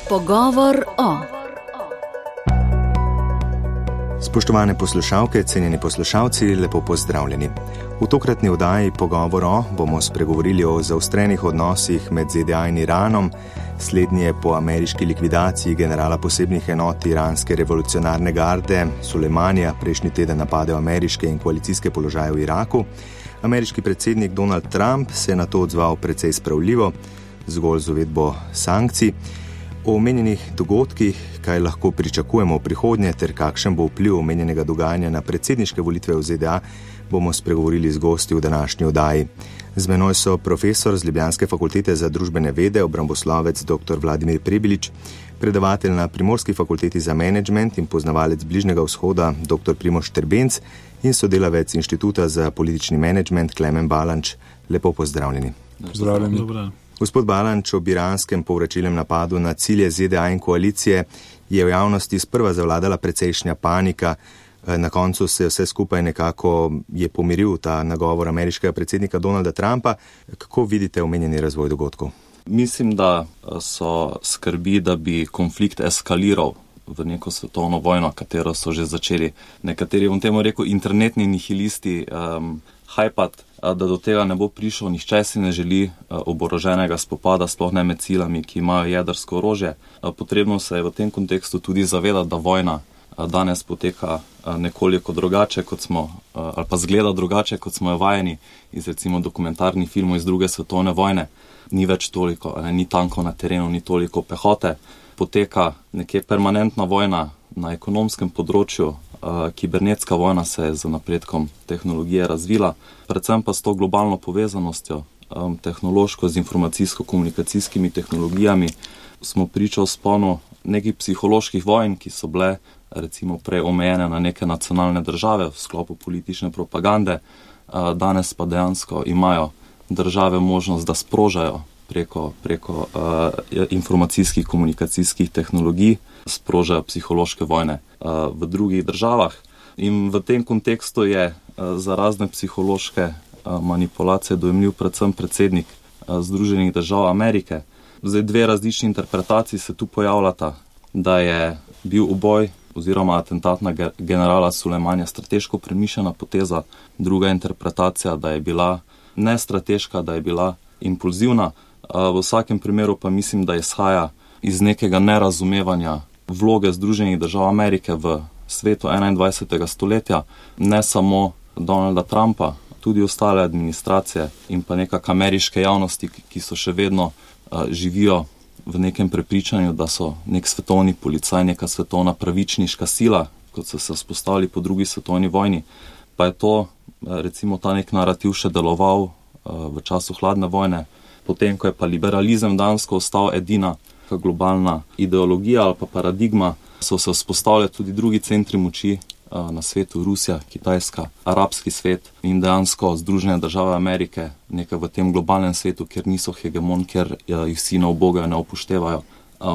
Pogovor o. Spoštovane poslušalke, cenjeni poslušalci, lepo pozdravljeni. V tokratni oddaji Pogovor o bomo spregovorili o zaostrenih odnosih med ZDA in Iranom, slednje po ameriški likvidaciji generala posebnih enot iranske revolucionarne garde Sulejmanija prejšnji teden napadel ameriške in koalicijske položaje v Iraku. Ameriški predsednik Donald Trump se je na to odzval precej spravljivo, zgolj z uvedbo sankcij. O omenjenih dogodkih, kaj lahko pričakujemo v prihodnje ter kakšen bo vpliv omenjenega dogajanja na predsedniške volitve v ZDA, bomo spregovorili z gosti v današnji oddaji. Z menoj so profesor z Ljubljanske fakultete za družbene vede, obramboslovec dr. Vladimir Prebilič, predavatelj na Primorski fakulteti za menedžment in poznavalec Bližnjega vzhoda dr. Primož Štrbenc in sodelavec Inštituta za politični menedžment Klemen Balanč. Lepo pozdravljeni. Pozdravljeni. Dobro. Gospod Balanč, ob iranskem povračilnem napadu na cilje ZDA in koalicije je v javnosti sprva zavladala precejšnja panika. Na koncu se vse skupaj nekako je pomiril ta nagovor ameriškega predsednika Donalda Trumpa. Kako vidite omenjeni razvoj dogodkov? Mislim, da so skrbi, da bi konflikt eskaliral v neko svetovno vojno, katero so že začeli nekateri, bom temu rekel, internetni nihilisti hajpat, da do tega ne bo prišel. Nihče si ne želi oboroženega spopada, sploh ne med silami, ki imajo jedrsko orožje. Potrebno se je v tem kontekstu tudi zavedati, da vojna danes poteka nekoliko drugače, kot smo, ali pa zgleda drugače, kot smo jo vajeni iz recimo dokumentarnih filmov iz druge svetovne vojne. Ni več toliko, ni tankov na terenu, ni toliko pehote. Poteka nekje permanentna vojna na ekonomskem področju. Kibernetska vojna se je z napredkom tehnologije razvila, predvsem pa s to globalno povezanostjo, tehnološko z informacijsko-komunikacijskimi tehnologijami, smo priča vzponu nekih psiholoških vojn, ki so bile recimo prej omejene na neke nacionalne države v sklopu politične propagande. Danes pa dejansko imajo države možnost, da sprožajo preko informacijskih komunikacijskih tehnologij, sprožajo psihološke vojne v drugih državah. In v tem kontekstu je za razne psihološke manipulacije dojemljiv predvsem predsednik Združenih držav Amerike. Zdaj dve različni interpretaciji se tu pojavljata, da je bil uboj oziroma atentat na generala Sulejmanija strateško premišljena poteza. Druga interpretacija, da je bila nestrateška, da je bila impulzivna. V vsakem primeru pa mislim, da izhaja iz nekega nerazumevanja vloge Združenih držav Amerike v svetu 21. stoletja, ne samo Donalda Trumpa, tudi ostale administracije in pa nekak ameriške javnosti, ki so še vedno živijo v nekem prepričanju, da so nek svetovni policaj, neka svetovna pravičniška sila, kot so se vzpostavili po drugi svetovni vojni. Pa je to, recimo, ta nek narativ še deloval v času hladne vojne, potem, ko je pa liberalizem dansko ostal edina globalna ideologija ali pa paradigma, so se vzpostavljali tudi drugi centri moči na svetu, Rusija, Kitajska, arabski svet in dejansko Združene države Amerike, nekaj v tem globalnem svetu, kjer niso hegemon, kjer jih vsi ne ubogajo, ne upoštevajo,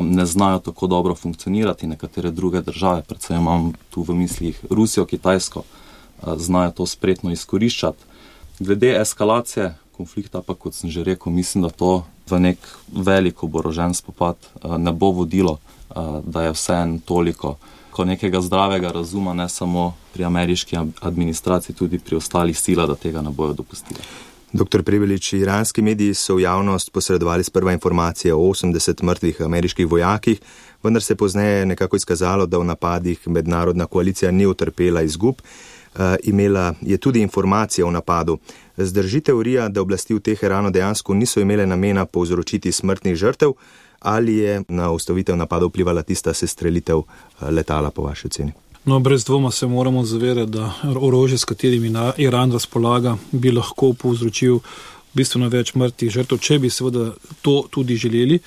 ne znajo tako dobro funkcionirati. Nekatere druge države, predvsem imam tu v mislih Rusijo, Kitajsko, znajo to spretno izkoriščati. Glede eskalacije konflikta pa, kot sem že rekel, mislim, da to v nek velik oborožen spopad ne bo vodilo, da je vseeno toliko ko nekega zdravega razuma, ne samo pri ameriški administraciji, tudi pri ostalih silah, da tega ne bojo dopustili. Dr. Prebilič, iranski mediji so v javnost posredovali sprva informacije o 80 mrtvih ameriških vojakih, vendar se pozneje nekako izkazalo, da v napadih mednarodna koalicija ni utrpela izgub. Imela je tudi informacije o napadu. Zdrži teorija, da oblasti v Teheranu dejansko niso imele namena povzročiti smrtnih žrtev, ali je na ustavitev napadov vplivala tista sestrelitev letala po vaši oceni? No, brez dvoma se moramo zavedati, da orožje, s katerimi Iran razpolaga, bi lahko povzročil bistveno več mrtvih žrtev, če bi seveda to tudi želeli.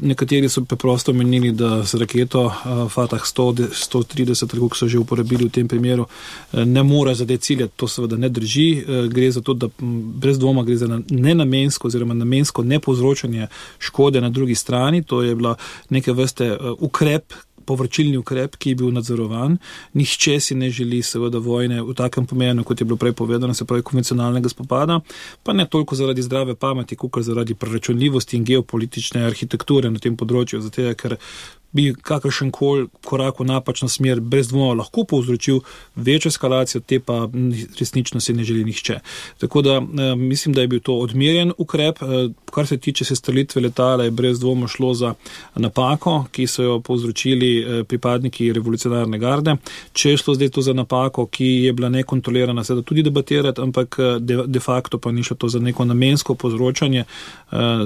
Nekateri so preprosto menili, da z raketo Fatah 130, kako so že uporabili v tem primeru, ne more zadeti cilja. To seveda ne drži. Gre za to, da brez dvoma gre za nenamensko oziroma namensko nepovzročanje škode na drugi strani. To je bila neke vrste ukrep, povračilni ukrep, ki je bil nadzorovan. Nihče si ne želi seveda vojne v takem pomenu, kot je bilo prej povedano, se pravi konvencionalnega spopada, pa ne toliko zaradi zdrave pameti, kot zaradi preračunljivosti in geopolitične arhitekture na tem področju, zato ker bi kakršen koli korak v napačno smer brez dvoma lahko povzročil večjo eskalacijo, te pa resnično si ne želi nihče. Tako da mislim, da je bil to odmerjen ukrep. Kar se tiče sestrelitve letala, je brez dvoma šlo za napako, ki so jo povzročili pripadniki revolucionarne garde. Če je šlo zdaj to za napako, ki je bila nekontrolirana, seveda tudi debatirati, ampak de facto pa ni šlo to za neko namensko povzročanje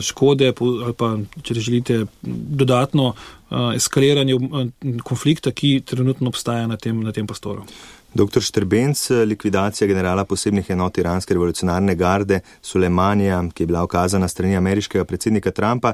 škode ali pa, če želite, dodatno eskaliranje konflikta, ki trenutno obstaja na tem prostoru. Dr. Štrbenc, likvidacija generala posebnih enot iranske revolucionarne garde Sulejmanija, ki je bila ukazana strani ameriškega predsednika Trumpa,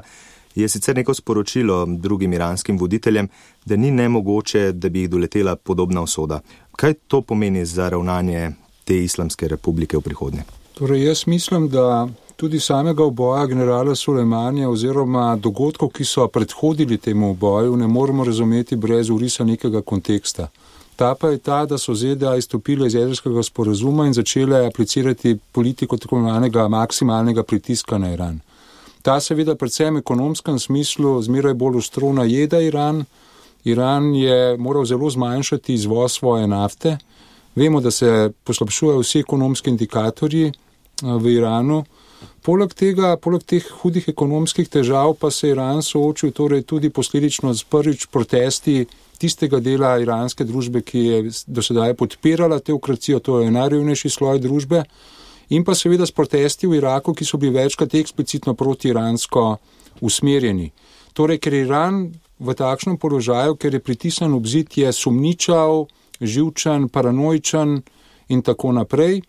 je sicer neko sporočilo drugim iranskim voditeljem, da ni nemogoče, da bi jih doletela podobna usoda. Kaj to pomeni za ravnanje te islamske republike v prihodnje? Torej, jaz mislim, da tudi samega uboja generala Sulejmanija oziroma dogodkov, ki so predhodili temu uboju, ne moremo razumeti brez urisa nekega konteksta. Ta pa je ta, da so ZDA izstopile iz jedrskega sporazuma in začele aplicirati politiko tako imenovanega maksimalnega pritiska na Iran. Ta seveda predvsem v ekonomskem smislu zmeraj bolj ostro najeda Iran. Iran je moral zelo zmanjšati izvoz svoje nafte. Vemo, da se poslabšujejo vsi ekonomski indikatorji v Iranu. Poleg teh hudih ekonomskih težav pa se Iran soočil torej tudi posledično z prvič protesti tistega dela iranske družbe, ki je do sedaj podpirala teokracijo, to je najrevnejši sloj družbe, in pa seveda s protesti v Iraku, ki so bili večkrat eksplicitno protiiransko usmerjeni. Torej, ker je Iran v takšnem položaju, ker je pritisnen ob zid, je sumničav, živčen, paranoičen in tako naprej.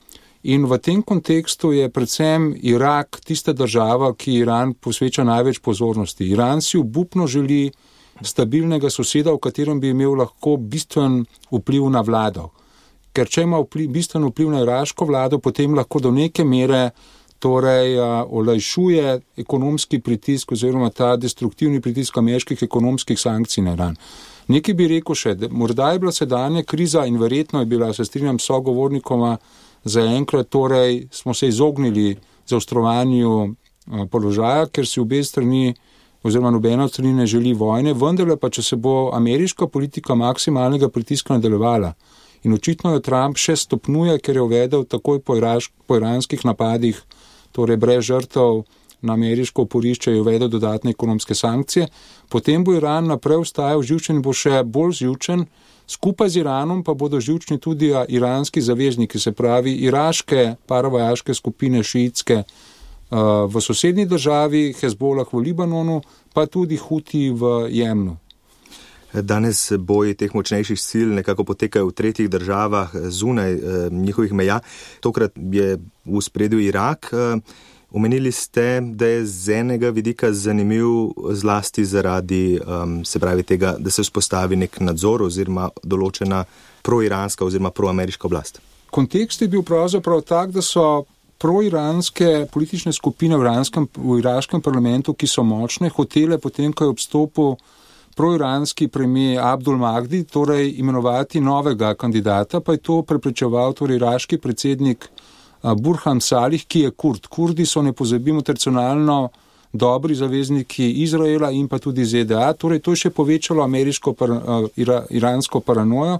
In v tem kontekstu je predvsem Irak tista država, ki Iran posveča največ pozornosti. Iran si obupno želi stabilnega soseda, v katerem bi imel lahko bistven vpliv na vlado. Ker če ima bistven vpliv na iraško vlado, potem lahko do neke mere olajšuje ekonomski pritisk oziroma ta destruktivni pritisk ameriških ekonomskih sankcij na Iran. Nekaj bi rekel še, morda je bila sedanja kriza in verjetno je bila, se strinjam s sogovornikoma, zaenkrat torej smo se izognili zaostrovanju položaja, ker si obe strani oziroma nobena od strani ne želi vojne, vendarle pa, če se bo ameriška politika maksimalnega pritiska nadaljevala in očitno jo Trump še stopnjuje, ker je uvedel takoj po iranskih napadih, torej brez žrtev na ameriško oporišče, je uvedel dodatne ekonomske sankcije, potem bo Iran naprej ostajal živčen in bo še bolj živčen. Skupaj z Iranom pa bodo živčni tudi iranski zavezniki, se pravi iraške paravojaške skupine šiitske v sosednji državi, Hezbolah v Libanonu, pa tudi Huti v Jemnu. Danes boji teh močnejših sil nekako potekajo v tretjih državah zunaj njihovih meja. Tokrat je v ospredju Irak. Omenili ste, da je z enega vidika zanimiv zlasti zaradi se pravi tega, da se vzpostavi nek nadzor oziroma določena proiranska oziroma proameriška oblast. Kontekst je bil pravzaprav tak, da so proiranske politične skupine v iraškem parlamentu, ki so močne, hotele potem, ko je obstopil proiranski premijer Abdul Mahdi, torej imenovati novega kandidata, pa je to preprečeval torej iraški predsednik Burhan Salih, ki je Kurd. Kurdi so, ne pozabimo, tradicionalno dobri zavezniki Izraela in pa tudi ZDA, torej to je še povečalo iransko paranojo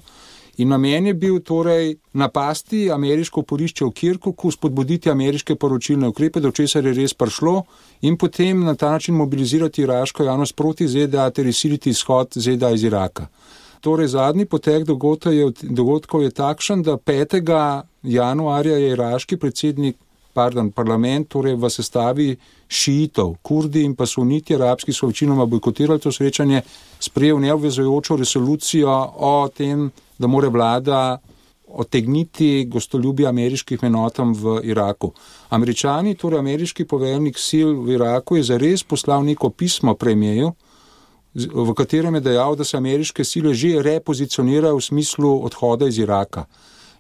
in namen je bil torej napasti ameriško oporišče v Kirkuku, spodbuditi ameriške poročilne ukrepe, do česar je res prišlo in potem na ta način mobilizirati iraško javnost proti ZDA ter izsiliti izhod ZDA iz Iraka. Torej zadnji potek dogodkov je takšen, da 5. januarja je iraški parlament, torej v sestavi šiitov, Kurdi in pa suniti arabski so večinoma bojkotirali to srečanje, sprejel neobvezujočo resolucijo o tem, da mora vlada otegniti gostoljubje ameriških enotam v Iraku. Američani, torej ameriški poveljnik sil v Iraku, je zares poslal neko pismo premijeju, v katerem je dejal, da se ameriške sile že repozicionirajo v smislu odhoda iz Iraka.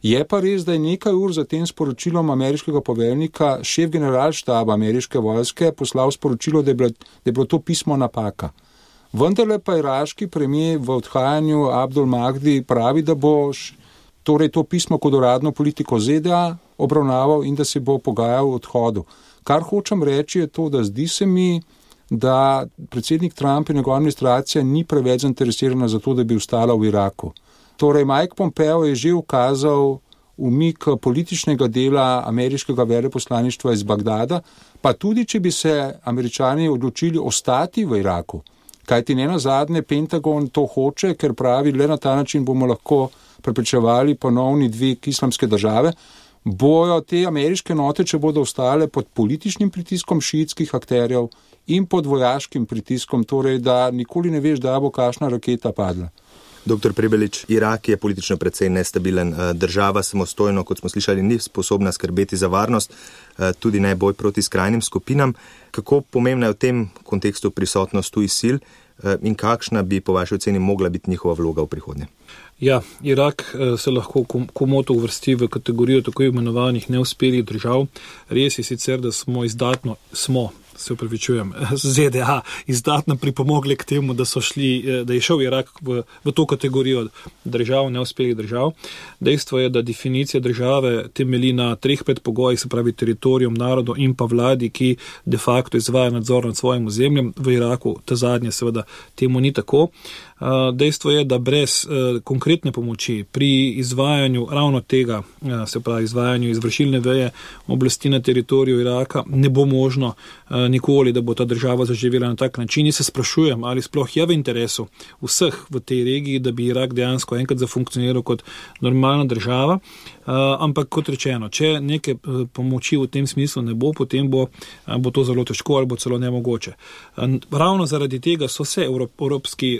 Je pa res, da je nekaj ur za tem sporočilom ameriškega poveljnika šef generalštaba ameriške vojske poslal sporočilo, da je bilo to pismo napaka. Vendarle pa iraški premijer v odhajanju Abdul Mahdi pravi, da bo torej to pismo kot uradno politiko ZDA obravnaval in da se bo pogajal o odhodu. Kar hočem reči je to, da zdi se mi, da predsednik Trump in njegova administracija ni preveč zainteresirana za to, da bi ostala v Iraku. Torej, Mike Pompeo je že ukazal umik političnega dela ameriškega veleposlaništva iz Bagdada, pa tudi, če bi se Američani odločili ostati v Iraku. Kajti ne nazadnje Pentagon to hoče, ker pravi, le na ta način bomo lahko preprečevali ponovni dvig islamske države, bojo te ameriške note, če bodo ostale pod političnim pritiskom šiitskih akterjev in pod vojaškim pritiskom, torej da nikoli ne veš, da bo kakšna raketa padla. Dr. Prebelič, Irak je politično precej nestabilen. Država samostojno, kot smo slišali, ni sposobna skrbeti za varnost, tudi ne boj proti skrajnim skupinam. Kako pomembna je v tem kontekstu prisotnost tujih sil in kakšna bi po vaši oceni mogla biti njihova vloga v prihodnje? Ja, Irak se lahko komoto uvrsti v kategorijo tako imenovanih neuspelih držav. Res je sicer, da ZDA izdatno pripomogli k temu, da je šel Irak v to kategorijo držav, neuspelih držav. Dejstvo je, da definicija države temelji na 3 predpogojih, se pravi teritorijom, narodu in pa vladi, ki de facto izvaja nadzor nad svojim ozemljem. V Iraku ta zadnje seveda temu ni tako. Dejstvo je, da brez konkretne pomoči pri izvajanju ravno tega, se pravi izvajanju izvršilne veje oblasti na teritoriju Iraka, ne bo možno nikoli, da bo ta država zaživela na tak način. In se sprašujem, ali sploh je v interesu vseh v tej regiji, da bi Irak dejansko enkrat zafunkcioniral kot normalna država. Ampak kot rečeno, če neke pomoči v tem smislu ne bo, potem bo to zelo težko ali bo celo nemogoče. Ravno zaradi tega so se evropski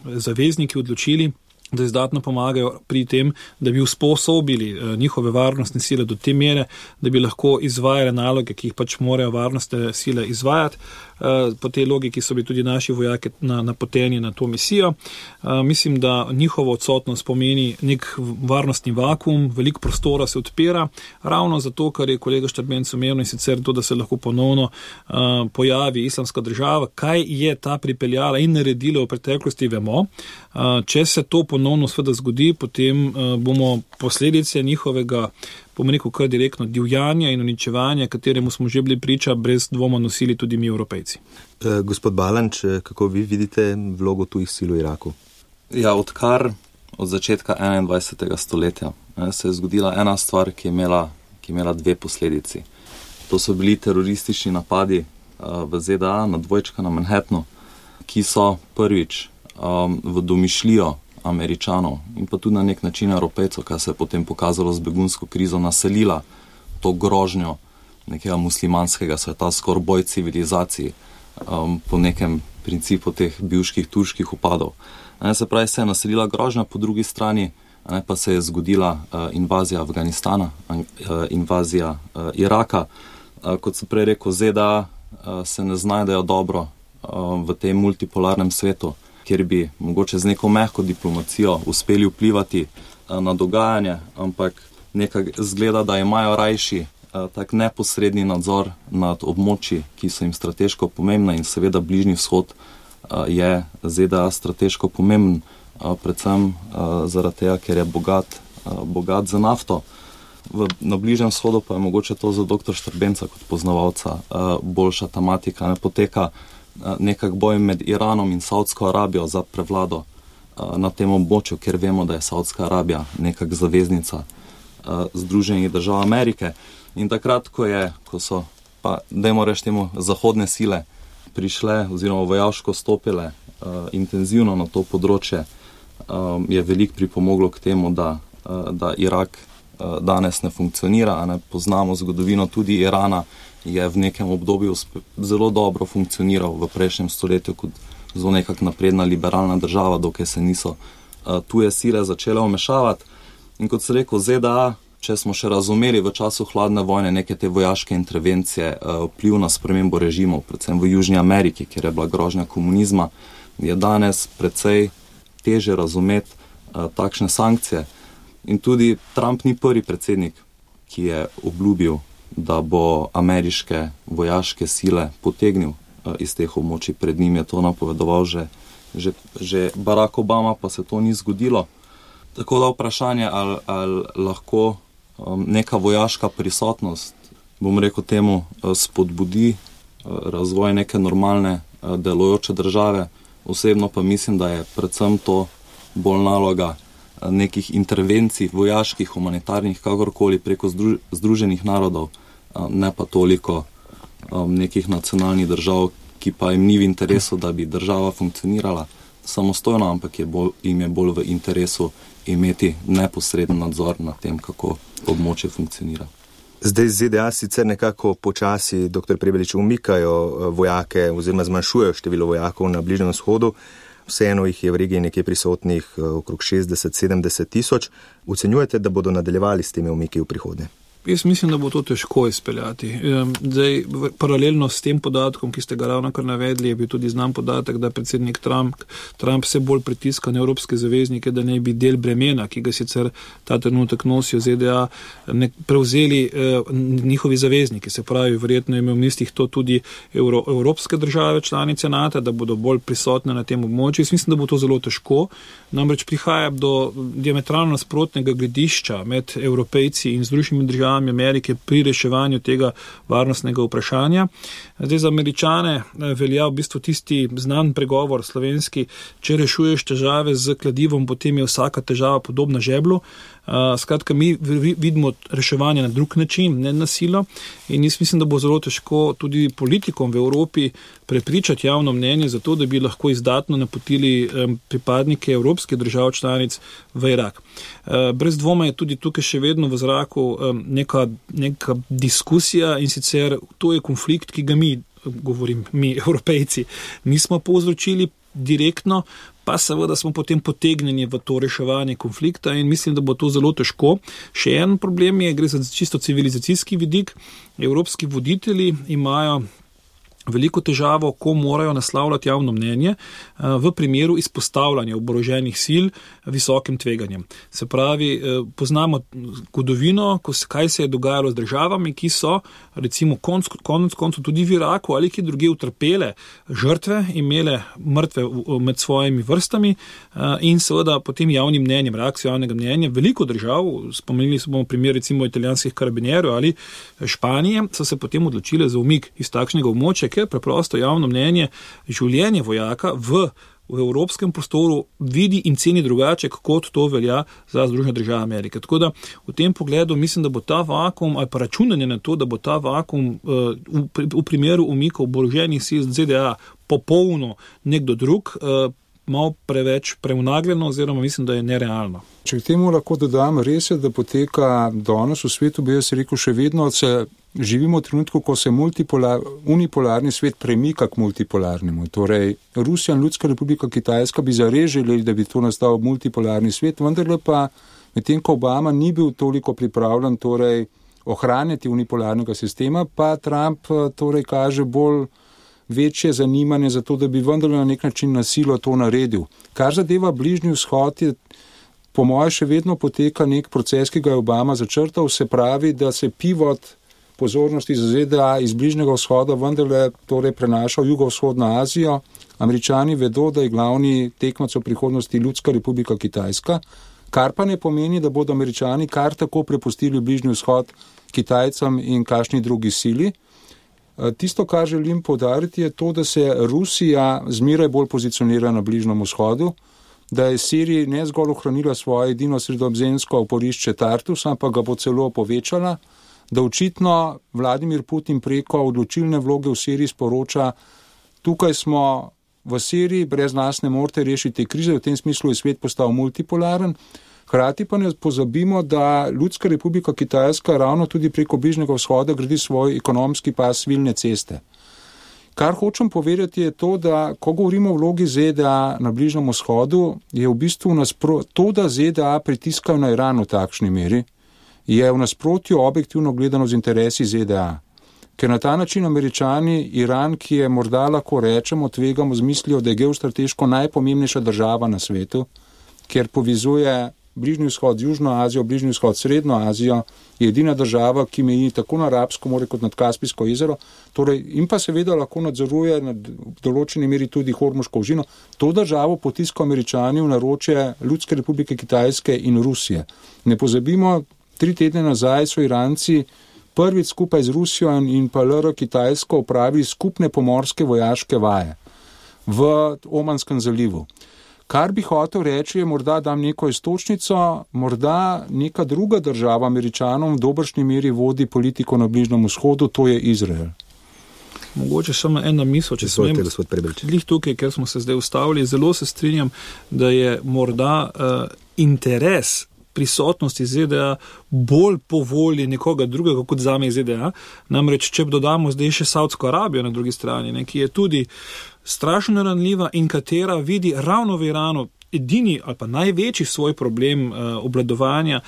zavezniki odločili, da izdatno pomagajo pri tem, da bi usposobili njihove varnostne sile do te mere, da bi lahko izvajale naloge, ki jih pač morajo varnostne sile izvajati. Po tej logiki so bili tudi naši vojaki napoteni na to misijo. Mislim, da njihovo odsotnost pomeni nek varnostni vakuum, veliko prostora se odpira, ravno zato, kar je kolega Štrbenc omenil, in sicer to, da se lahko ponovno pojavi islamska država. Kaj je ta pripeljala in naredila v preteklosti, vemo. Če se to ponovno sveda zgodi, potem bomo posledice njihovega, bomo rekel, kar direktno divjanja in uničevanja, kateremu smo že bili priča, brez dvoma nosili tudi mi, Evropejci. Gospod Balanč, kako vi vidite vlogo tujih sil v Iraku? Ja, od začetka 21. stoletja se je zgodila ena stvar, ki je imela 2 posledici. To so bili teroristični napadi v ZDA na dvojčka na Manhattanu, ki so prvič v domišljijo Američanov in pa tudi na nek način Evropejcev, kar se je potem pokazalo z begunsko krizo, naselila to grožnjo nekega muslimanskega sveta, skoraj boj civilizaciji po nekem principu teh bivških turških upadov. Se pravi, se je naselila grožnja, po drugi strani pa se je zgodila invazija Afganistana, invazija Iraka. Kot sem prej rekel, ZDA se ne znajdejo dobro v tem multipolarnem svetu, kjer bi mogoče z neko mehko diplomacijo uspeli vplivati na dogajanje, ampak nekaj zgleda, da imajo rajši tak neposredni nadzor nad območji, ki so jim strateško pomembna, in seveda Bližnji vzhod je ZDA strateško pomemben, predvsem zaradi tega, ker je bogat za nafto. Na Bližnjem vzhodu pa je mogoče to za dr. Štrbenca kot poznavalca boljša tematika. Poteka nekak boj med Iranom in Saudsko Arabijo za prevlado na tem območju, ker vemo, da je Saudska Arabija nekak zaveznica Združenih držav Amerike. In takrat, ko so, pa dajmo reči temu, zahodne sile prišle oziroma vojaško stopile intenzivno na to področje, je veliko pripomoglo k temu, da Irak danes ne funkcionira. Poznamo zgodovino tudi Irana, je v nekem obdobju zelo dobro funkcioniral v prejšnjem stoletju kot zelo nekak napredna liberalna država, dokaj se niso tuje sile začele vmešavati. In kot se rekel, ZDA, če smo še razumeli v času hladne vojne neke te vojaške intervencije, vpliv na spremembo režimov, predvsem v Južni Ameriki, kjer je bila grožnja komunizma, je danes precej teže razumeti takšne sankcije. In tudi Trump ni prvi predsednik, ki je obljubil, da bo ameriške vojaške sile potegnil iz teh območij. Pred njim je to napovedoval že Barack Obama, pa se to ni zgodilo. Tako da vprašanje, ali lahko neka vojaška prisotnost, bom rekel temu, spodbudi razvoj neke normalne delujoče države. Osebno pa mislim, da je predvsem to bolj naloga nekih intervencij, vojaških, humanitarnih, kakorkoli preko Združenih narodov, ne pa toliko nekih nacionalnih držav, ki pa jim ni v interesu, da bi država funkcionirala samostojno, ampak jim je bolj v interesu imeti neposreden nadzor nad tem, kako območje funkcionira. Zdaj ZDA sicer nekako počasi, dr. Prebelič, umikajo vojake oziroma zmanjšujejo število vojakov na Bližnjem vzhodu. Vseeno jih je v regiji nekje prisotnih okrog 60-70 tisoč. Ocenjujete, da bodo nadaljevali s temi umiki v prihodnje? Jaz mislim, da bo to težko izpeljati. Zdaj, paralelno s tem podatkom, ki ste ga ravnokar navedli, je bil tudi znan podatek, da predsednik Trump vse bolj pritiska na evropske zaveznike, da ne bi del bremena, ki ga sicer ta trenutek nosijo ZDA, prevzeli njihovi zavezniki. Se pravi, verjetno je imel v mislih to tudi evropske države članice NATO, da bodo bolj prisotne na tem območju. Jaz mislim, da bo to zelo težko. Namreč prihaja do diametralno nasprotnega gledišča med Evropejci in Združenimi državami Amerike pri reševanju tega varnostnega vprašanja. Zdaj za Američane velja v bistvu tisti znan pregovor slovenski, če rešuješ težave z kladivom, potem je vsaka težava podobna žeblu. Skratka, mi vidimo reševanje na drug način, ne na silo, in jaz mislim, da bo zelo težko tudi politikom v Evropi prepričati javno mnenje za to, da bi lahko izdatno napotili pripadnike evropskih držav članic v Irak. Brez dvoma je tudi tukaj še vedno v zraku neka diskusija, in sicer to je konflikt, ki ga mi Evropejci, nismo povzročili direktno, pa seveda smo potem potegnjeni v to reševanje konflikta, in mislim, da bo to zelo težko. Še en problem gre za čisto civilizacijski vidik. Evropski voditelji imajo veliko težavo, ko morajo naslavljati javno mnenje v primeru izpostavljanja oboroženih sil visokim tveganjem. Se pravi, poznamo zgodovino, kaj se je dogajalo z državami, ki so recimo konec tudi v Iraku ali ki druge utrpele žrtve, imele mrtve med svojimi vrstami in seveda potem javnim mnenjem, reakcijo javnega mnenja. Veliko držav, spomenili smo primer recimo italijanskih karabinjerov ali Španije, so se potem odločile za umik iz takšnega območja, ker preprosto javno mnenje življenje vojaka v evropskem prostoru vidi in ceni drugače, kot to velja za Združene države Amerike. Tako da v tem pogledu mislim, da bo ta vakuum ali pa računanje na to, da bo ta vakuum v primeru umikov oboroženih sil ZDA popolno nekdo drug, malo preveč preunagljeno oziroma mislim, da je nerealno. Če k temu lahko dodam, res je, da poteka danes v svetu, bi jaz rekel, še vedno živimo v trenutku, ko se unipolarni svet premika k multipolarnemu. Torej, Rusija in Ljudska republika Kitajska bi zares želeli, da bi to nastal multipolarni svet, vendarle pa medtem ko Obama ni bil toliko pripravljen ohranjati unipolarnega sistema, pa Trump kaže bolj večje zanimanje za to, da bi vendarle na nek način na silo to naredil. Kar zadeva Bližnji vzhod, je po moje še vedno poteka nek proces, ki ga je Obama začrtal, se pravi, da se pivot pozornosti za ZDA iz Bližnjega vzhoda vendarle prenaša v jugovzhodno Azijo. Američani vedo, da je glavni tekmec v prihodnosti Ljudska republika Kitajska, kar pa ne pomeni, da bodo Američani kar tako prepustili Bližnji vzhod Kitajcem in kakšni drugi sili. Tisto, kar želim poudariti, je to, da se Rusija zmeraj bolj pozicionira na Bližnjem vzhodu, da je Sirija ne zgolj ohranila svoje edino sredozemsko oporišče Tartus, ampak ga bo celo povečala, da očitno Vladimir Putin preko odločilne vloge v Siriji sporoča, tukaj smo v Siriji, brez nas ne morete rešiti krize, v tem smislu je svet postal multipolaren. Hkrati pa ne pozabimo, da Ljudska republika Kitajska ravno tudi preko Bližnjega vzhoda gradi svoj ekonomski pas svilne ceste. Kar hočem povedati je to, da ko govorimo o vlogi ZDA na Bližnjem vzhodu, je v bistvu to, da ZDA pritiskajo na Iran v takšni meri, je v nasprotju objektivno gledano z interesi ZDA. Ker na ta način Američani Iran, ki je morda lahko rečemo, tvegamo z mislijo, da je geostrateško najpomembnejša država na svetu, ker povezuje Bližnji vzhod z Južno Azijo, Bližnji vzhod Srednjo Azijo, je edina država, ki meji tako na Arabsko more kot nad Kaspijsko jezero, in pa seveda lahko nadzoruje na določeni meri tudi Hormuško ožino. To državo potiskajo Američani v naročje Ljudske republike Kitajske in Rusije. Ne pozabimo, 3 tedne nazaj so Iranci prvič skupaj z Rusijo in pa LR Kitajsko opravili skupne pomorske vojaške vaje. v Omanskem zalivu. Kar bi hotel reči, je morda dam neko iztočnico, morda neka druga država Američanom v dobršni meri vodi politiko na Bližnjem vzhodu, to je Izrael. Mogoče samo ena misel, če smem, glih tukaj, ker smo se zdaj ustavili, zelo se strinjam, da je morda interes prisotnosti ZDA bolj po volji nekoga drugega kot zame ZDA. Namreč, če dodamo zdaj še Saudsko Arabijo na drugi strani, ki je tudi strašno ranljiva in katera vidi ravno v Iranu edini ali pa največji svoj problem obvladovanja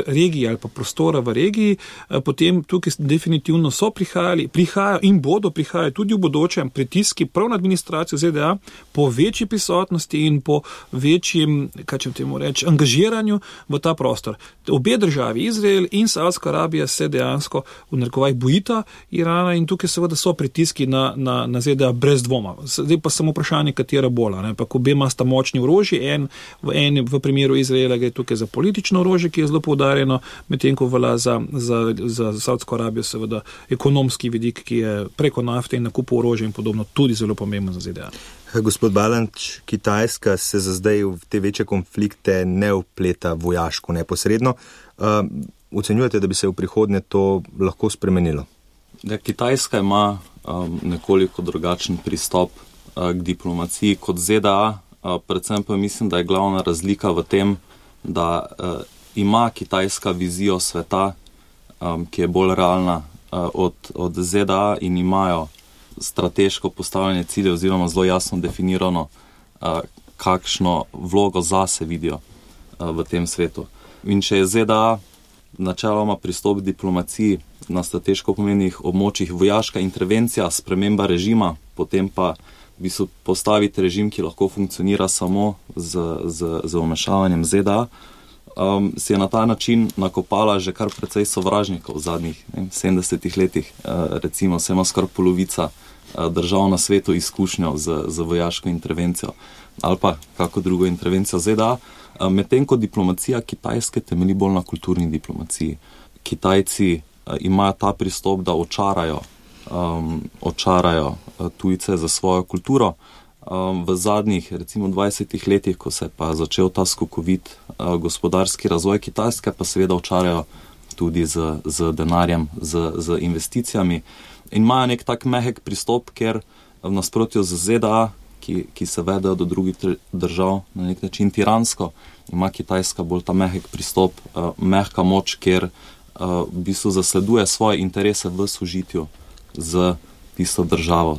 regije ali pa prostora v regiji, potem tukaj definitivno prihajajo in bodo prihajali tudi v bodočem pritiski prav na administracijo ZDA po večji prisotnosti in po večjem, kaj če temu reči, angažiranju v ta prostor. Obe državi, Izrael in Saudska Arabija, se dejansko v narekovajih bojita Irana in tukaj seveda so pritiski na ZDA brez dvoma. Zdaj pa samo vprašanje, katera bola. Pa obema sta močni orožji, v primeru Izraela gre tukaj za politično orožje, ki je zelo poudarjeno, medtem ko velja za Saudsko Arabijo seveda ekonomski vidik, ki je preko nafte in nakupu orožja in podobno tudi zelo pomemben za ZDA. Gospod Balanč, Kitajska se za zdaj v te večje konflikte ne vpleta vojaško neposredno. Ocenjujete, da bi se v prihodnje to lahko spremenilo? Kitajska ima nekoliko drugačen pristop k diplomaciji kot ZDA, predvsem pa mislim, da je glavna razlika v tem, da ima Kitajska vizijo sveta, ki je bolj realna od ZDA in imajo strateško postavljanje cilje oziroma zelo jasno definirano, kakšno vlogo zase vidijo v tem svetu. In če je ZDA načeloma pristop k diplomaciji na strateško pomenih območjih vojaška intervencija, sprememba režima, potem pa v bistvu postaviti režim, ki lahko funkcionira samo z vmešavanjem ZDA, si je na ta način nakopala že kar precej sovražnikov v zadnjih 70 letih. Recimo se ima skoraj polovica držav na svetu izkušnjo z vojaško intervencijo ali pa kako drugo intervencijo ZDA, medtem ko diplomacija Kitajske temelji bolj na kulturni diplomaciji. Kitajci imajo ta pristop, da očarajo tujce za svojo kulturo. V zadnjih, recimo 20 letih, ko se pa začel ta skokovit gospodarski razvoj Kitajske, pa seveda očarajo tudi z denarjem, z investicijami. In imajo nek tak mehek pristop, ker v nasprotju z ZDA, ki se vedejo do drugih držav na nek način tiransko, ima Kitajska bolj ta mehek pristop, mehka moč, ker v bistvu zasleduje svoje interese v sožitju z tisto državo,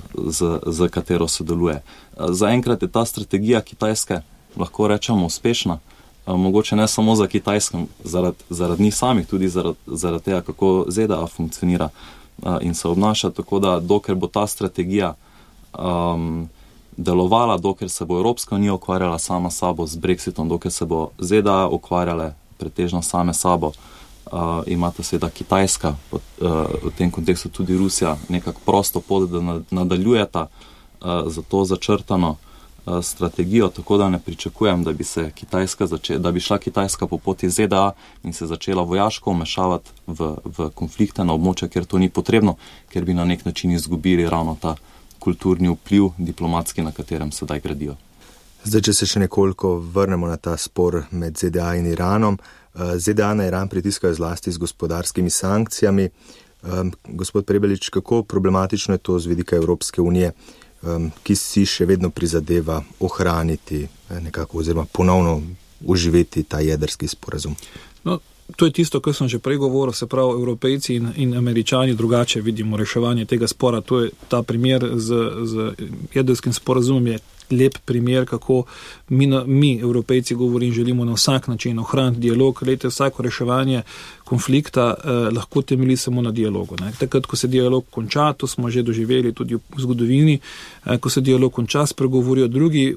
z katero sodeluje. Zaenkrat je ta strategija Kitajske, lahko rečemo, uspešna. Mogoče ne samo za Kitajsko, zaradi njih samih, tudi zaradi tega, kako ZDA funkcionira in se obnaša. Tako da, dokler bo ta strategija delovala, dokler se bo Evropska unija ukvarjala sama sabo z Brexitom, dokler se bo ZDA ukvarjale pretežno same sabo, imata seveda Kitajska, v tem kontekstu tudi Rusija, nekako prosto pot, da nadaljujeta za to začrtano strategijo, tako da ne pričakujem, da bi šla Kitajska po poti ZDA in se začela vojaško vmešavati v konflikte na območja, kjer to ni potrebno, ker bi na nek način izgubili ravno ta kulturni vpliv diplomatski, na katerem sedaj gradijo. Zdaj, če se še nekoliko vrnemo na ta spor med ZDA in Iranom. ZDA na Iran pritiskajo zlasti z gospodarskimi sankcijami. Gospod Prebelič, kako problematično je to z vidika Evropske unije, ki si še vedno prizadeva ohraniti nekako oziroma ponovno oživeti ta jedrski sporazum? No, to je tisto, kar sem že prej govoril, se pravi, Evropejci in Američani drugače vidimo reševanje tega spora. To je ta primer z jedrskim sporazumom je lep primer, kako mi Evropejci govorim, želimo na vsak način ohraniti dialog. Glejte, vsako reševanje konflikta lahko temelji samo na dialogu. Takrat, ko se dialog konča, to smo že doživeli tudi v zgodovini, ko se dialog konča, spregovorijo drugi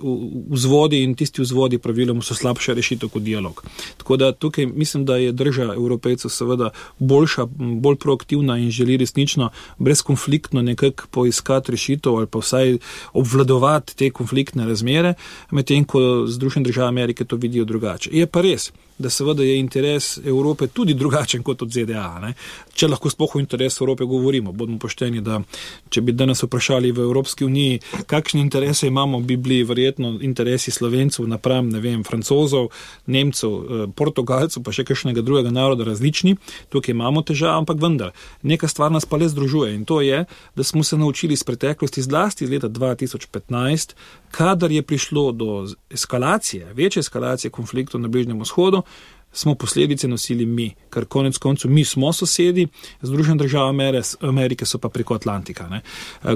vzvodi in tisti vzvodi praviloma so slabša rešitev kot dialog. Tako da tukaj mislim, da je drža Evropejcev seveda boljša, bolj proaktivna in želi resnično brezkonfliktno nekako poiskati rešitev ali pa vsaj obvladovati te konflikte konfliktne razmere, medtem ko Združene države Amerike to vidijo drugače. Je pa res, da seveda je interes Evrope tudi drugačen kot od ZDA. Ne? Če lahko sploh o interesu Evrope govorimo, bodimo pošteni, da če bi danes vprašali v Evropski uniji, kakšne interese imamo, bi bili verjetno interesi Slovencev napram, ne vem, Francozov, Nemcev, Portugalcev, pa še kakšnega drugega naroda različni. Tukaj imamo težave, ampak vendar. Neka stvar nas pa le združuje in to je, da smo se naučili iz preteklosti, zlasti iz leta 2015, kadar je prišlo do eskalacije, večje eskalacije konfliktov na Bližnjem vzhodu, smo posledice nosili mi, ker konec koncev mi smo sosedi, Združene države Amerike so pa preko Atlantika. Ne.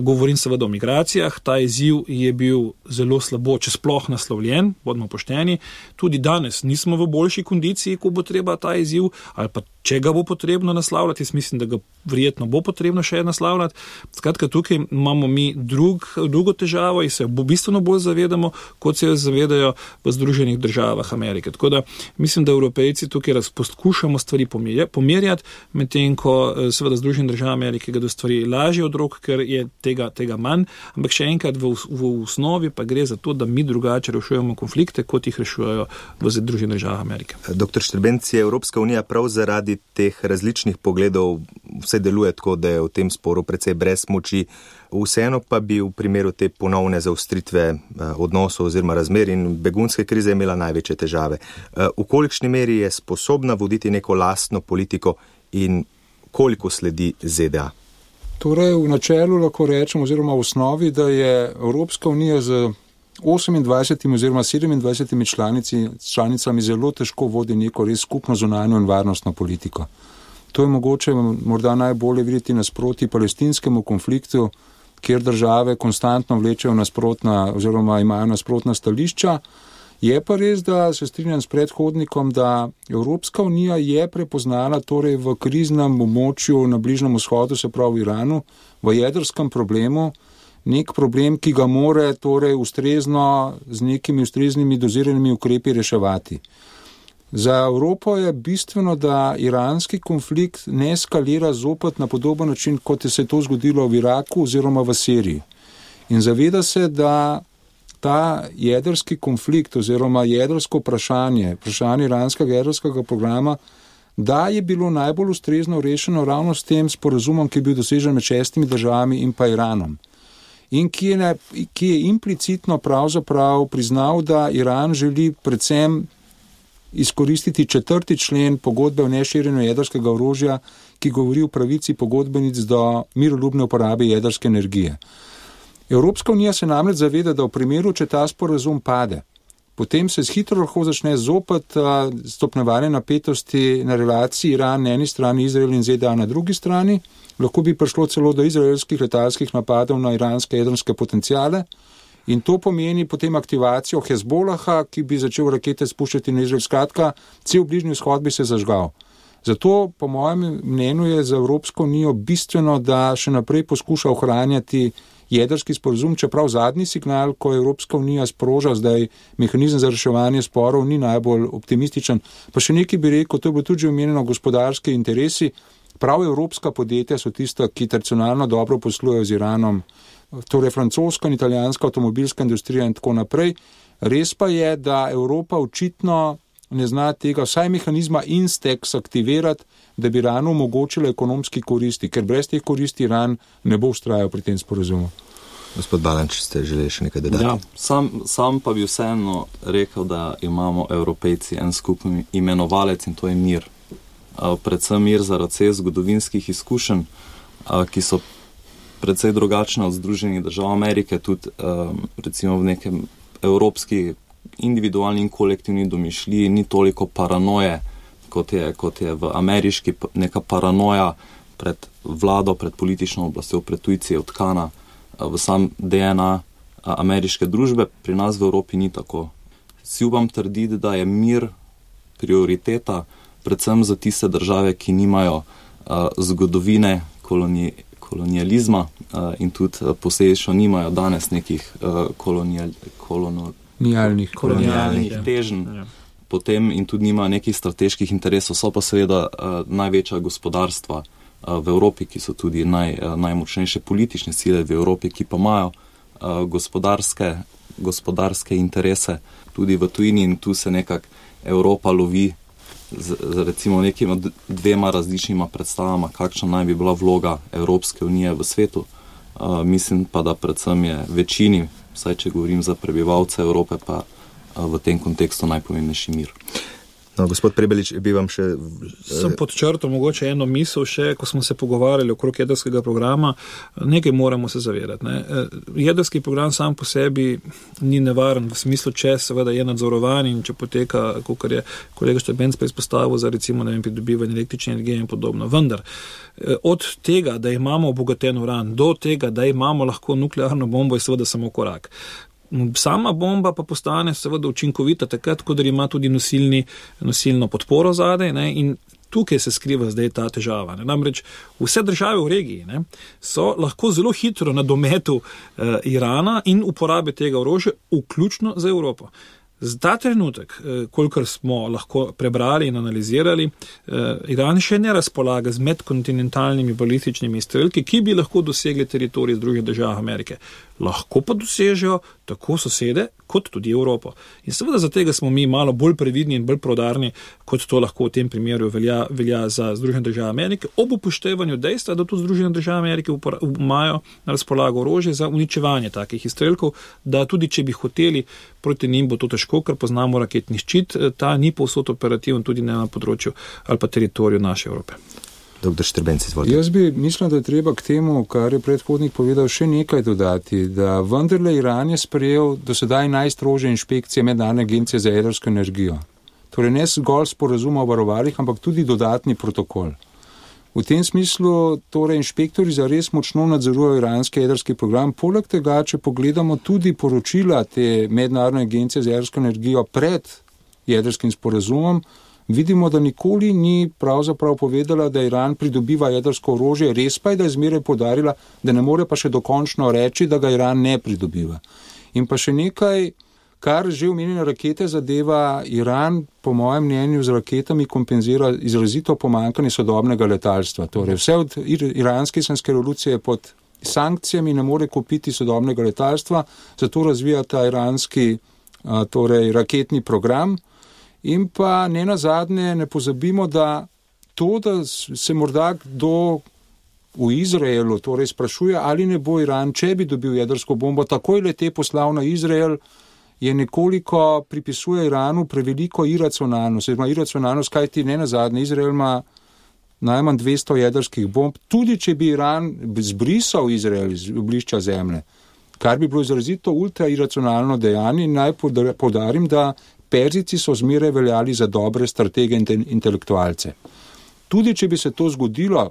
Govorim seveda o migracijah, ta izziv je bil zelo slabo, če sploh naslovljen, bodimo pošteni, tudi danes nismo v boljši kondiciji, ko bo treba ta izziv, ali pa če ga bo potrebno naslavljati, jaz mislim, da ga verjetno bo potrebno še naslavljati. Skratka, tukaj imamo mi drugo težavo in se bo bistveno bolj zavedamo, kot se jo zavedajo v Združenih državah Amerike. Tako da mislim, da Evropejci tukaj poskušamo stvari pomerjati, medtem ko seveda Združene države Amerike gredo stvari lažje od rok, ker je tega manj, ampak še enkrat v osnovi pa gre za to, da mi drugače rešujemo konflikte, kot jih rešujejo v Združenih državah Amerike. Dr. Štrbenc, je Evropska unija prav zaradi teh različnih pogledov vse deluje tako, da je v tem sporu precej brez moči. Vseeno pa bi v primeru te ponovne zaostritve odnosov oziroma razmer in begunske krize imela največje težave. V kolikšni meri je sposobna voditi neko lastno politiko in koliko sledi ZDA? Torej, v načelu lahko rečem oziroma v osnovi, da je Evropska unija z 28 oziroma 27 članicami zelo težko vodi neko res skupno zunanjo in varnostno politiko. To je mogoče morda najbolje videti nasproti palestinskemu konfliktu, kjer države konstantno vlečejo nasprotna oziroma imajo nasprotna stališča. Je pa res, da se strinjam s predhodnikom, da Evropska unija je prepoznala torej v kriznem območju na Bližnjem vzhodu, se pravi v Iranu, v jedrskem problemu, nek problem, ki ga more torej ustrezno z nekimi ustreznimi doziranimi ukrepi reševati. Za Evropo je bistveno, da iranski konflikt ne eskalira zopet na podoben način, kot je se to zgodilo v Iraku oziroma v Siriji. In zaveda se, da ta jedrski konflikt oziroma jedrsko vprašanje iranskega jedrskega programa, da je bilo najbolj ustrezno rešeno ravno s tem sporazumom, ki je bil dosežen med 6 državami in pa Iranom. In ki je implicitno pravzaprav priznal, da Iran želi predvsem izkoristiti 4. člen pogodbe o neširjenju jedrskega orožja, ki govori o pravici pogodbenic do miroljubne uporabe jedrske energije. Evropska unija se namreč zaveda, da v primeru, če ta sporazum pade, potem se hitro lahko začne zopet stopnjevanje napetosti na relaciji Iran na eni strani, Izrael in ZDA na drugi strani. Lahko bi prišlo celo do izraelskih letalskih napadov na iranske jedrske potencijale in to pomeni potem aktivacijo Hezbolaha, ki bi začel rakete spuščati na Izrael. Skratka, cel Bližnji vzhod bi se zažgal. Zato, po mojem mnenju, je za Evropsko unijo bistveno, da še naprej poskuša ohranjati jedrski sporazum, čeprav zadnji signal, ko Evropska unija sproža zdaj mehanizem za reševanje sporov, ni najbolj optimističen. Pa še nekaj bi rekel, to je bilo tudi omenjeno, gospodarske interesi. Prav evropska podjetja so tista, ki tradicionalno dobro poslujejo z Iranom, torej francoska in italijanska avtomobilska industrija in tako naprej. Res pa je, da Evropa očitno ne zna tega vsaj mehanizma Instex aktivirati, da bi Iranu omogočila ekonomski koristi, ker brez teh koristi Iran ne bo vztrajal pri tem sporazumu. Gospod Balanč, ste želeli še nekaj dodati? Ja, sam pa bi vseeno rekel, da imamo Evropejci en skupni imenovalec in to je mir. Predvsem mir zaradi vseh zgodovinskih izkušenj, ki so precej drugačne od Združenih držav Amerike, tudi recimo v nekem evropski individualni in kolektivni domišljiji ni toliko paranoje, kot je v ameriški, neka paranoja pred vlado, pred politično oblastjo, pred tujci je vtkana v sam DNA ameriške družbe, pri nas v Evropi ni tako. Si upam trditi, da je mir prioriteta predvsem za tiste države, ki nimajo zgodovine kolonializma in tudi posledično nimajo danes nekih kolonialnih teženj, potem in tudi nimajo nekih strateških interesov, so pa seveda največja gospodarstva v Evropi, ki so tudi najmočnejše politične sile v Evropi, ki pa imajo gospodarske interese tudi v tujini in tu se nekako Evropa lovi z recimo nekima dvema različnima predstavama, kakšna naj bi bila vloga Evropske unije v svetu. Mislim pa, da predvsem je večini, vsaj če govorim za prebivalce Evrope, pa v tem kontekstu najpomembnejši mir. No, gospod Prebelič, bi vam še... Sem podčrtal mogoče eno misel še, ko smo se pogovarjali okrog jedrskega programa, nekaj moramo se zavedati. Ne? Jedrski program sam po sebi ni nevaren, v smislu, če seveda je nadzorovan in če poteka, kakor je kolega Štrbenc izpostavil, za recimo pridobivanje električne energije in podobno. Vendar, od tega, da imamo obogaten uran, do tega, da imamo lahko nuklearno bombo, je seveda samo korak. Sama bomba pa postane seveda učinkovita takrat, ko ima tudi nosilno podporo zadaj, ne, in tukaj se skriva zdaj ta težava. Ne. Namreč vse države v regiji, ne, so lahko zelo hitro na dometu Irana in uporabe tega orožja, vključno za Evropo. Za ta trenutek, kolikor smo lahko prebrali in analizirali, Iran še ne razpolaga z medkontinentalnimi balističnimi izstrelki, ki bi lahko dosegli teritorij Združenih držav Amerike. Lahko pa dosežejo tako sosede, kot tudi Evropo. In seveda za tega smo mi malo bolj previdni in bolj prodarni, kot to lahko v tem primeru velja za Združene države Amerike, ob upoštevanju dejstva, da tudi Združene države Amerike imajo na razpolago orožje za uničevanje takih izstrelkov, da tudi če bi hoteli proti njim, bo to težko, ker poznamo raketni ščit, ta ni povsod operativen tudi na področju ali pa teritoriju naše Evrope. Dr. Štrbenc, izvolite. Jaz bi mislil, da je treba k temu, kar je predhodnik povedal, še nekaj dodati, da vendarle Iran je sprejel do sedaj najstrožje inšpekcije Mednarodne agencije za jedrsko energijo. Torej ne zgolj sporazuma o varovalih, ampak tudi dodatni protokol. V tem smislu torej inšpektori zares močno nadzorujejo iranski jedrski program. Poleg tega, če pogledamo tudi poročila te Mednarodne agencije za jedrsko energijo pred jedrskim sporazumom, vidimo, da nikoli ni pravzaprav povedala, da Iran pridobiva jedrsko orožje, res pa je, da je zmeraj poudarila, da ne more pa še dokončno reči, da ga Iran ne pridobiva. In pa še nekaj, kar že omenjene rakete zadeva, Iran, po mojem mnenju, z raketami kompenzira izrazito pomanjkanje sodobnega letalstva. Torej, vse od iranske islamske revolucije pod sankcijami ne more kupiti sodobnega letalstva, zato razvija ta iranski raketni program. In pa ne nazadnje ne pozabimo, da to, da se morda kdo v Izraelu torej sprašuje, ali ne bo Iran, če bi dobil jedrsko bombo, takoj le te poslal na Izrael, je nekoliko pripisuje Iranu preveliko iracionalnost, kajti ne nazadnje Izrael ima najmanj 200 jedrskih bomb, tudi če bi Iran zbrisal Izrael iz oblišča zemlje, kar bi bilo izrazito ultrairacionalno dejanje. In naj poudarim, da Perzijci so zmeraj veljali za dobre stratege in intelektualce. Tudi če bi se to zgodilo,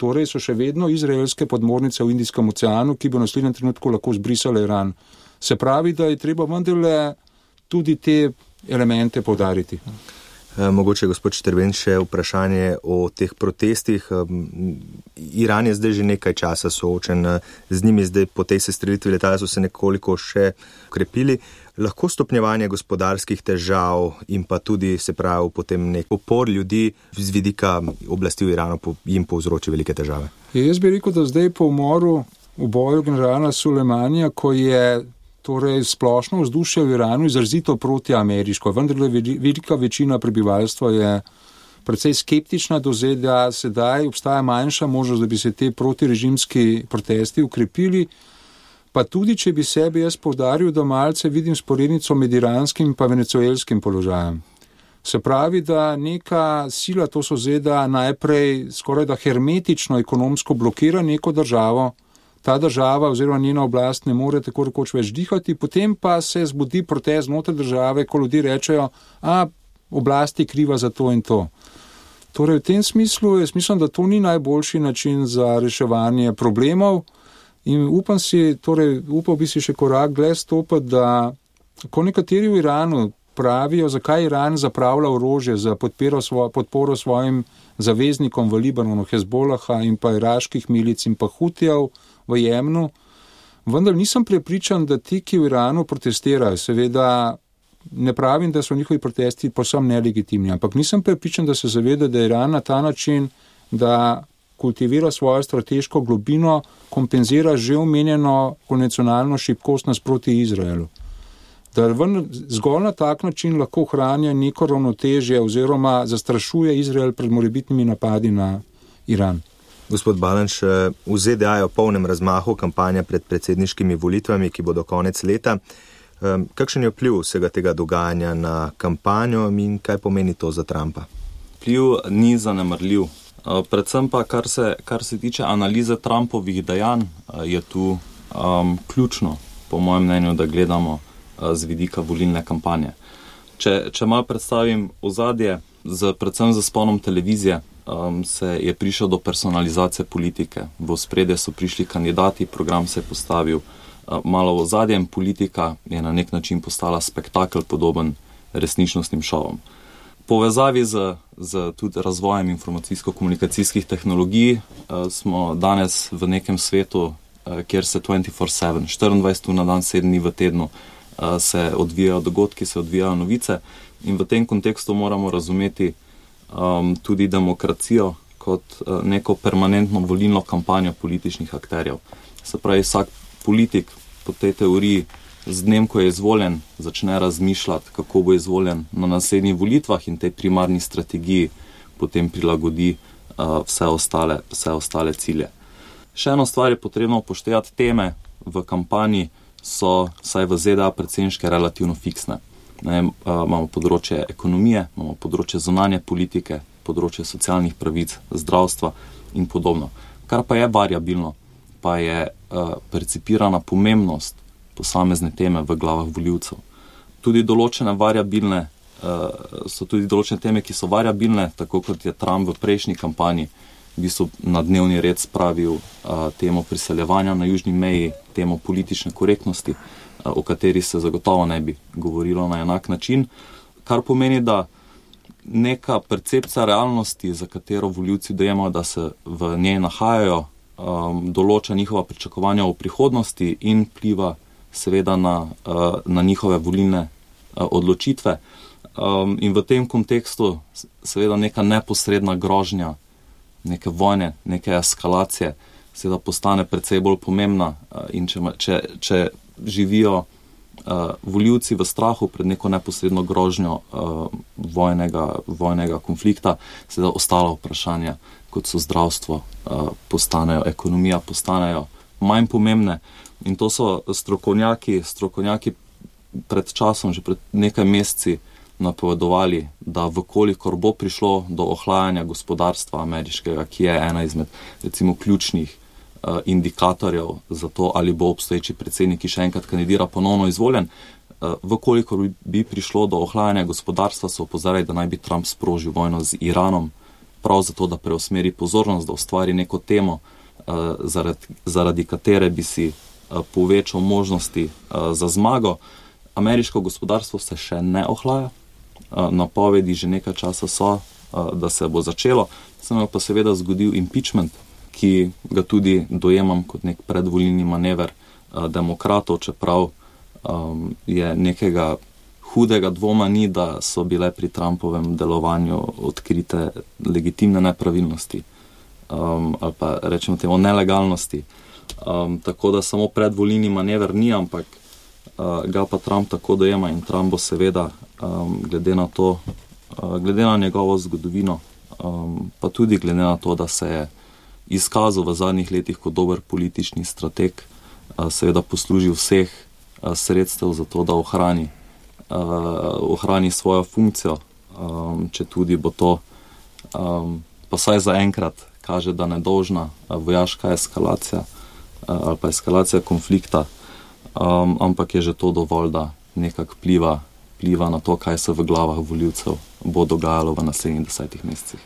torej so še vedno izraelske podmornice v Indijskem oceanu, ki bi v naslednjem trenutku lahko zbrisale Iran. Se pravi, da je treba vendarle tudi te elemente poudariti. Mogoče, gospod Štrbenc, še vprašanje o teh protestih. Iran je zdaj že nekaj časa soočen z njimi, zdaj po tej sestrelitvi letala so se nekoliko še ukrepili. Lahko stopnjevanje gospodarskih težav in pa tudi, se pravi, potem nek upor ljudi z vidika oblasti v Iranu jim povzroči velike težave? Jaz bi rekel, da zdaj po umoru v boju generala Sulejmanija, ko je torej splošno vzdušje v Iranu izrazito protiameriško, vendar velika večina prebivalstva je precej skeptična do ZDA, sedaj obstaja manjša možnost, da bi se te protirežimski protesti ukrepili, pa tudi, če bi sebi jaz poudaril, da malce vidim sporednico med iranskim pa venezuelskim položajem. Se pravi, da neka sila, to so ZDA, najprej skoraj da hermetično ekonomsko blokira neko državo, ta država oziroma njena oblast ne more tako rekoč več dihati, potem pa se zbudi protest znotraj države, ko ljudje rečejo, oblast je kriva za to in to. Torej, v tem smislu, jaz mislim, da to ni najboljši način za reševanje problemov in upal bi si še korak dlje stopiti, da ko nekateri v Iranu pravijo, zakaj Iran zapravlja orožje za podporo svojim zaveznikom v Libanonu, Hezbolaha in pa iraških milic in pa Hutijev v Jemnu, vendar nisem prepričan, da ti, ki v Iranu protestirajo, seveda ne pravim, da so njihovi protesti povsem nelegitimni, ampak nisem prepričan, da se zaveda, da Iran na ta način, da kultivira svojo strateško globino, kompenzira že omenjeno konvencionalno šibkost nasproti Izraelu. Da zgolj na tak način lahko ohranja neko ravnotežje oziroma zastrašuje Izrael pred morebitnimi napadi na Iran. Gospod Balanš, v ZDA je v polnem razmahu kampanja pred predsedniškimi volitvami, ki bodo konec leta. Kakšen je vpliv vsega tega dogajanja na kampanjo in kaj pomeni to za Trumpa? Vpliv ni zanemarljiv. Predvsem pa, kar se tiče analize Trumpovih dejanj, je tu ključno, po mojem mnenju, da gledamo z vidika volilne kampanje. Če malo predstavim ozadje, predvsem z sponom televizije, se je prišel do personalizacije politike. V ospredje so prišli kandidati, program se je postavil malo v ozadje in politika je na nek način postala spektakel podoben resničnostnim šovom. Povezavi z tudi razvojem informacijsko-komunikacijskih tehnologij smo danes v nekem svetu, kjer se 24/7, 24 ur na dan, 7 dni v tednu se odvijajo dogodki, se odvijajo novice in v tem kontekstu moramo razumeti tudi demokracijo kot neko permanentno volilno kampanjo političnih akterjev. Se pravi, vsak politik po tej teoriji z dnem, ko je izvoljen, začne razmišljati, kako bo izvoljen na naslednjih volitvah in tej primarni strategiji potem prilagodi vse ostale cilje. Še eno stvar je potrebno upoštevati, teme v kampanji so, vsaj v ZDA, predsedniške relativno fiksne. Imamo področje ekonomije, imamo področje zunanje politike, področje socialnih pravic, zdravstva in podobno. Kar pa je variabilno, pa je percipirana pomembnost posamezne teme v glavah volivcev. Tudi določene teme, ki so variabilne, tako kot je Trump v prejšnji kampanji v bistvu na dnevni red spravil temo priseljevanja na južni meji, temo politične korektnosti, o kateri se zagotovo ne bi govorilo na enak način, kar pomeni, da neka percepcija realnosti, za katero volivci dojemajo, da se v njej nahajajo, določa njihova pričakovanja v prihodnosti in vpliva seveda na njihove volilne odločitve. In v tem kontekstu seveda neka neposredna grožnja, neke vojne, neke eskalacije seveda postane precej bolj pomembna in če živijo volivci v strahu pred neko neposredno grožnjo vojnega konflikta, seveda ostala vprašanja, kot so zdravstvo, ekonomija postanejo manj pomembne. In to so strokovnjaki pred časom, že pred nekaj meseci napovedovali, da vkolikor bo prišlo do ohlajanja gospodarstva ameriškega, ki je ena izmed recimo ključnih indikatorjev za to, ali bo obstoječi predsednik, ki še enkrat kandidira, ponovno izvoljen, vkolikor bi prišlo do ohlajanja gospodarstva, so opozarjali, da naj bi Trump sprožil vojno z Iranom, prav zato, da preusmeri pozornost, da ustvari neko temo, zaradi katere bi si povečal možnosti za zmago. Ameriško gospodarstvo se še ne ohlaja, napovedi že nekaj časa so, da se bo začelo, se pa seveda zgodil impeachment, ki ga tudi dojemam kot nek predvolilni manever demokratov, čeprav je nekega hudega dvoma ni, da so bile pri Trumpovem delovanju odkrite legitimne nepravilnosti ali pa rečemo temu nelegalnosti. Tako da samo predvolilni manever ni, ampak ga pa Trump tako dojema in Trump bo seveda glede na njegovo zgodovino, pa tudi glede na to, da se je izkazal v zadnjih letih kot dober politični strateg, seveda poslužil vseh sredstev za to, da ohrani svojo funkcijo, če tudi bo to pa saj zaenkrat kaže, da nedolžna vojaška eskalacija ali pa eskalacija konflikta, ampak je že to dovolj, da nekako pliva na to, kaj se v glavah volivcev bo dogajalo v naslednjih 10 mesecih.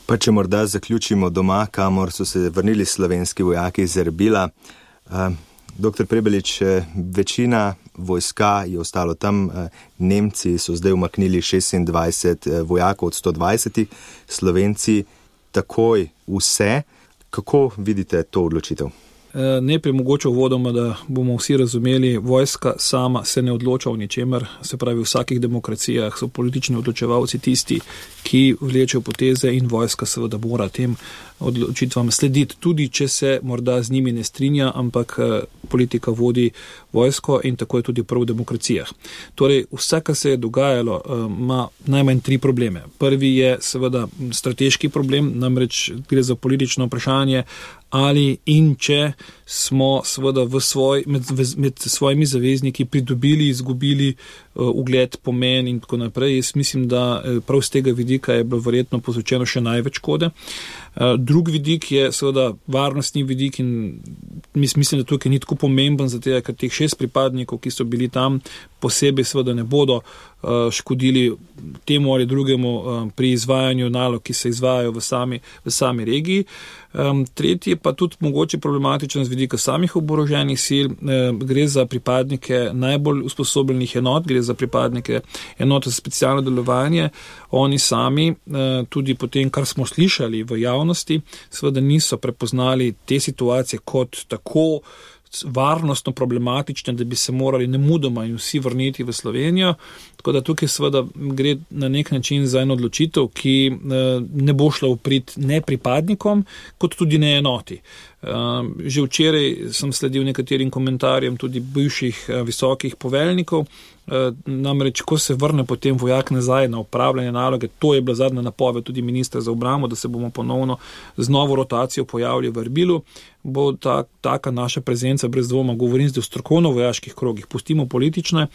Pa če morda zaključimo doma, kamor so se vrnili slovenski vojaki iz Erbila. Dr. Prebelič, večina vojska je ostalo tam, Nemci so zdaj umaknili 26 vojakov od 120, Slovenci takoj vse. Kako vidite to odločitev? Najprej mogoče uvodoma, da bomo vsi razumeli, vojska sama se ne odloča o ničemer, se pravi v vsakih demokracijah so politični odločevalci tisti, ki vlečejo poteze in vojska seveda mora tem odločitvam slediti, tudi če se morda z njimi ne strinja, ampak politika vodi vojsko in tako je tudi prav v demokracijah. Torej, vse, kar se je dogajalo, ima najmanj 3 probleme. Prvi je seveda strateški problem, namreč gre za politično vprašanje, ali in če smo seveda med svojimi zavezniki pridobili, izgubili ugled, pomen in tako naprej. Jaz mislim, da prav z tega vidika je bilo verjetno povzročeno še največ škode. Drug vidik je seveda varnostni vidik in mislim, da tukaj ni tako pomemben, zato ker teh 6 pripadnikov, ki so bili tam, posebej seveda ne bodo škodili temu ali drugemu pri izvajanju nalog, ki se izvajajo v sami regiji. Tretji pa tudi mogoče problematičen z vidika samih oboroženih sil, gre za pripadnike najbolj usposobljenih enot, gre za pripadnike enot za specialno delovanje. Oni sami, tudi po tem, kar smo slišali v javnosti, seveda niso prepoznali te situacije kot tako varnostno problematične, da bi se morali nemudoma in vsi vrniti v Slovenijo. Tako da tukaj seveda gre na nek način za eno odločitev, ki ne bo šla v prid ne pripadnikom, kot tudi ne enoti. Že včeraj sem sledil nekaterim komentarjem tudi bivših visokih poveljnikov, namreč, ko se vrne potem vojak nazaj na opravljanje naloge, to je bila zadnja napoved tudi ministra za obrambo, da se bomo ponovno z novo rotacijo pojavili v Erbilu, bo taka naša prezenca brez dvoma, govorim zdaj o strokovno-vojaških krogih, pustimo politične,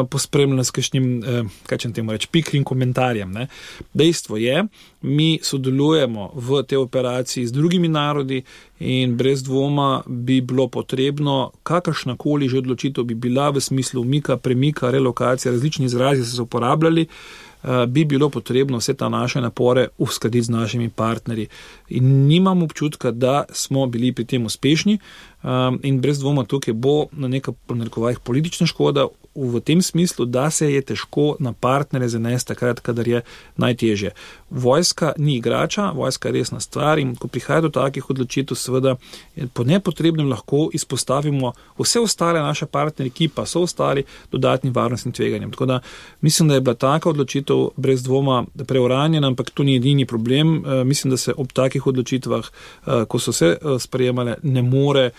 pospremljene s kakšnim, kaj če temu reči, pikrim komentarjem. Ne. Dejstvo je, mi sodelujemo v tej operaciji z drugimi narodi in brez dvoma bi bilo potrebno, kakršnakoli že odločitev bi bila v smislu umika, premika, relokacije, različni izrazi so se uporabljali, bi bilo potrebno vse ta naše napore uskladiti z našimi partnerji. In nimam občutka, da smo bili pri tem uspešni in brez dvoma tukaj bo na nekaj narekovajih politična škoda v tem smislu, da se je težko na partnere zanesti takrat, kadar je najtežje. Vojska ni igrača, vojska je resna stvar in ko prihaja do takih odločitev, seveda po nepotrebnem lahko izpostavimo vse ostale naše partnerje, ki pa so ostali dodatnim varnostnim tveganjem. Tako da mislim, da je bila taka odločitev brez dvoma preuranjena, ampak to ni edini problem. Mislim, da se ob takih odločitvah, ko so se sprejemale, ne more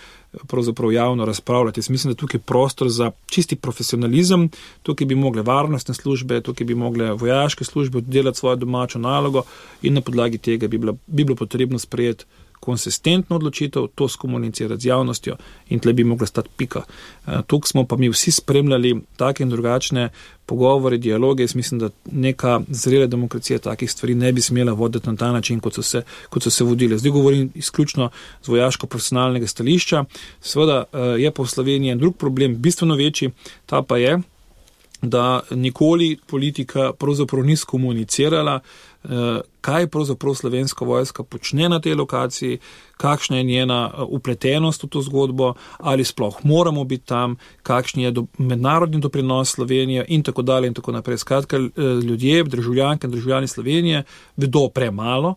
pravzaprav javno razpravljati. Jaz mislim, da tukaj je prostor za čisti profesionalizem, tukaj bi mogle varnostne službe, tukaj bi mogle vojaške službe oddelati svojo domačo nalogo in na podlagi tega bi bilo potrebno sprejeti konsistentno odločitev, to skomunicirati z javnostjo in tle bi mogla stati pika. Tukaj smo pa mi vsi spremljali take in drugačne pogovore, dialoge. Jaz mislim, da neka zrela demokracija takih stvari ne bi smela voditi na ta način, kot so se vodile. Zdaj govorim izključno z vojaško-profesionalnega stališča. Seveda je pa v Sloveniji en drug problem, bistveno večji, ta pa je, da nikoli politika pravzaprav ni skomunicirala, kaj pravzaprav slovenska vojska počne na tej lokaciji, kakšna je njena upletenost v to zgodbo, ali sploh moramo biti tam, kakšen je mednarodni doprinos Slovenije in tako dalje in tako naprej. Skratka, ljudje, državljanke in državljani Slovenije vedo premalo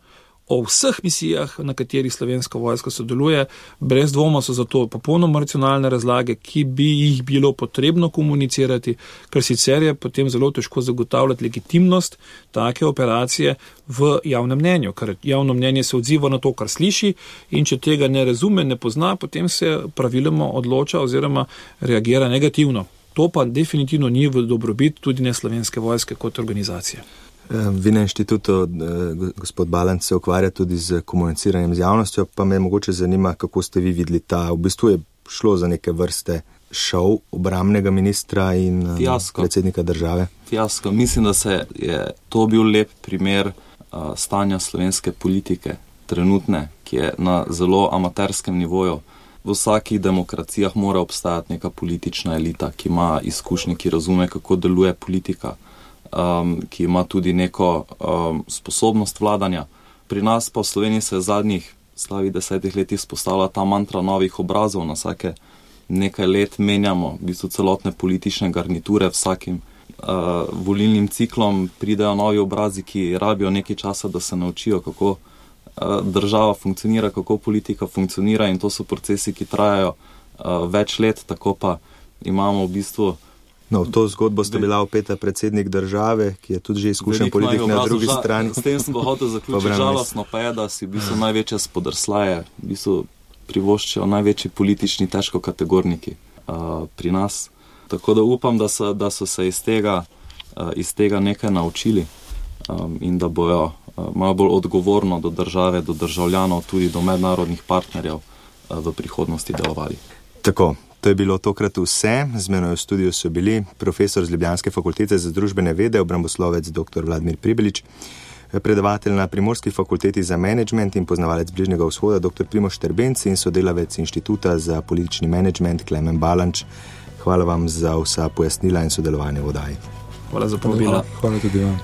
o vseh misijah, na katerih slovenska vojska sodeluje. Brez dvoma so zato popolnoma racionalne razlage, ki bi jih bilo potrebno komunicirati, ker sicer je potem zelo težko zagotavljati legitimnost take operacije v javnem mnenju, ker javno mnenje se odziva na to, kar sliši in če tega ne razume, ne pozna, potem se praviloma odloča oziroma reagira negativno. To pa definitivno ni v dobrobit tudi ne slovenske vojske kot organizacije. Vi na inštitutu, gospod Balanc, se ukvarja tudi z komuniciranjem z javnostjo, pa me mogoče zanima, kako ste vi videli ta, v bistvu je šlo za neke vrste šov obrambnega ministra in predsednika države. Fiasko. Mislim, da se je to bil lep primer stanja slovenske politike, trenutne, ki je na zelo amaterskem nivoju. V vsakih demokracijah mora obstajati neka politična elita, ki ima izkušnje, ki razume, kako deluje politika, ki ima tudi neko sposobnost vladanja. Pri nas pa v Sloveniji se zadnjih slabih 10 letih spostavlja ta mantra novih obrazov. Na vsake nekaj let menjamo v bistvu celotne politične garniture, vsakim volilnim ciklom pridejo novi obrazi, ki rabijo nekaj časa, da se naučijo, kako država funkcionira, kako politika funkcionira in to so procesi, ki trajajo več let, tako pa imamo v bistvu. No, v to zgodbo ste bila opeta predsednik države, ki je tudi že izkušen politik na drugi strani. S tem sem hotel zaključiti. Žalostno pa je, da si v bistvu največje spodrslaje v bistvu privoščijo največji politični težkokategorniki pri nas. Tako da upam, da so se iz tega nekaj naučili in da bojo malo bolj odgovorno do države, do državljanov, tudi do mednarodnih partnerjev v prihodnosti delovali. Tako. To je bilo tokrat vse. Z menoj v studiu so bili profesor z Ljubljanske fakultete za družbene vede, obramboslovec dr. Vladimir Pribelič, predavatelj na Primorski fakulteti za menedžment in poznavalec Bližnjega vzhoda dr. Primož Štrbenc in sodelavec Inštituta za politični menedžment Klemen Balanč. Hvala vam za vsa pojasnila in sodelovanje v oddaji. Hvala za povabilo. Hvala tudi vam.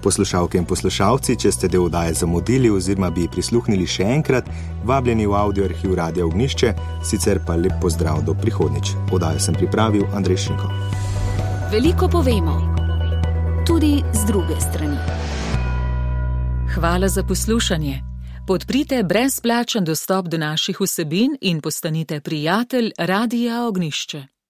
Poslušalke in poslušalci, če ste del oddaje zamudili oziroma bi prisluhnili še enkrat, vabljeni v audio arhiv Radia Ognjišče, sicer pa lep pozdrav do prihodnjič. Oddajo sem pripravil Andrej Šinko. Veliko povemo, tudi z druge strani. Hvala za poslušanje. Podprite brezplačen dostop do naših vsebin in postanite prijatelj Radia Ognjišče.